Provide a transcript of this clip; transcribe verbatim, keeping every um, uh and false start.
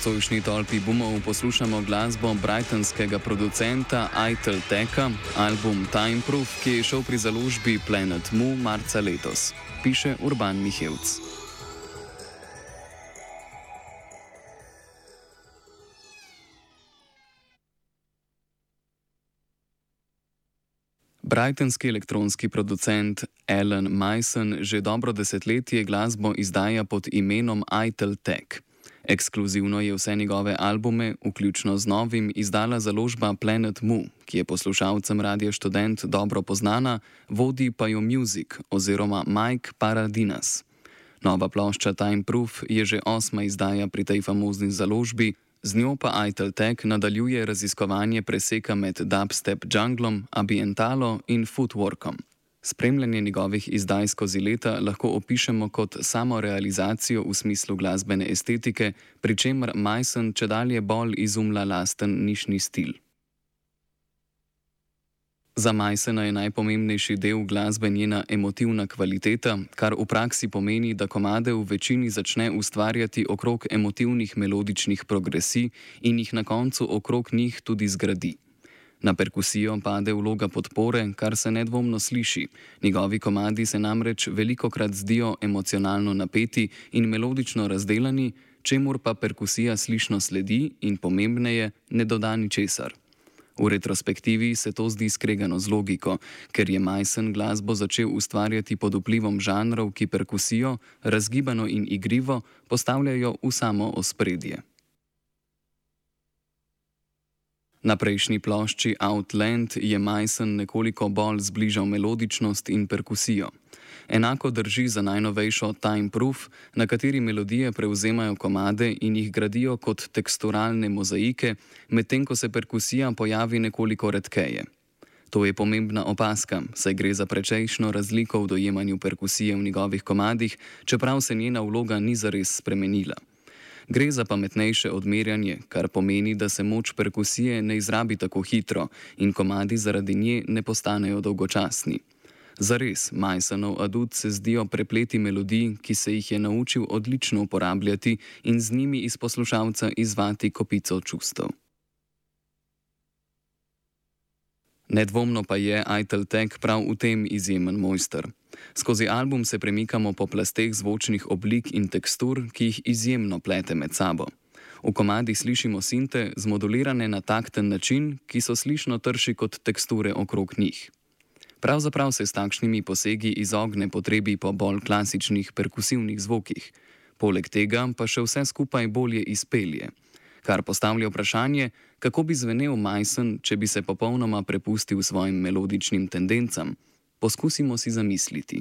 nocojšnji tolpi boomov poslušamo glasbo brightonskega producenta Itel Teka, album Time Proof, ki je šel pri založbi Planet Mu marca letos, piše Urban Mihevc. Brightonski elektronski producent Alan Mason že dobro desetletje glasbo izdaja pod imenom Itel Tek. Ekskluzivno je vse njegove albume, vključno z novim, izdala založba Planet Mu, ki je poslušalcem Radia Študent dobro poznana, vodi pa jo Music oziroma Mike Paradinas. Nova plošča Time Proof je že osma izdaja pri tej famozni založbi, z njo pa Itel Tek nadaljuje raziskovanje preseka med dubstep junglom, ambientalo in footworkom. Spremljanje njegovih izdaj skozi leta lahko opišemo kot samorealizacijo v smislu glasbene estetike, pri čemer Mason čedalje bolj izumlja lasten nišni stil. Za Masona je najpomembnejši del glasbe njena emotivna kvaliteta, kar v praksi pomeni, da komade v večini začne ustvarjati okrog emotivnih melodičnih progresij in jih na koncu okrog njih tudi zgradi. Na perkusijo pade vloga podpore, kar se nedvomno sliši. Njegovi komadi se namreč velikokrat zdijo emocionalno napeti in melodično razdelani, čemur pa perkusija slišno sledi in pomembneje ne doda ničesar. V retrospektivi se to zdi skregano z logiko, ker je Mason glasbo začel ustvarjati pod vplivom žanrov, ki perkusijo, razgibano in igrivo, postavljajo v samo ospredje. Na prejšnji plošči Outland je Mason nekoliko bolj zbližal melodičnost in perkusijo. Enako drži za najnovejšo Time Proof, na kateri melodije prevzemajo komade in jih gradijo kot teksturalne mozaike, medtem ko se perkusija pojavi nekoliko redkeje. To je pomembna opaska, saj gre za precejšno razliko v dojemanju perkusije v njegovih komadih, čeprav se njena vloga ni zares spremenila. Gre za pametnejše odmerjanje, kar pomeni, da se moč perkusije ne izrabi tako hitro in komadi zaradi nje ne postanejo dolgočasni. Zares, Masonov adut se zdijo prepleti melodij, ki se jih je naučil odlično uporabljati in z njimi iz poslušalca izvati kopico čustev. Nedvomno pa je Itel Tek prav v tem izjemen mojster. Skozi album se premikamo po plasteh zvočnih oblik in tekstur, ki jih izjemno plete med sabo. V komadih slišimo sinte, zmodulirane na takten način, ki so slišno trši kot teksture okrog njih. Pravzaprav se s takšnimi posegi izogne potrebi po bolj klasičnih perkusivnih zvokih. Poleg tega pa še vse skupaj bolje izpelje. Kar postavlja vprašanje, kako bi zvenel Mason, če bi se popolnoma prepustil svojim melodičnim tendencam. Poskusimo si zamisliti.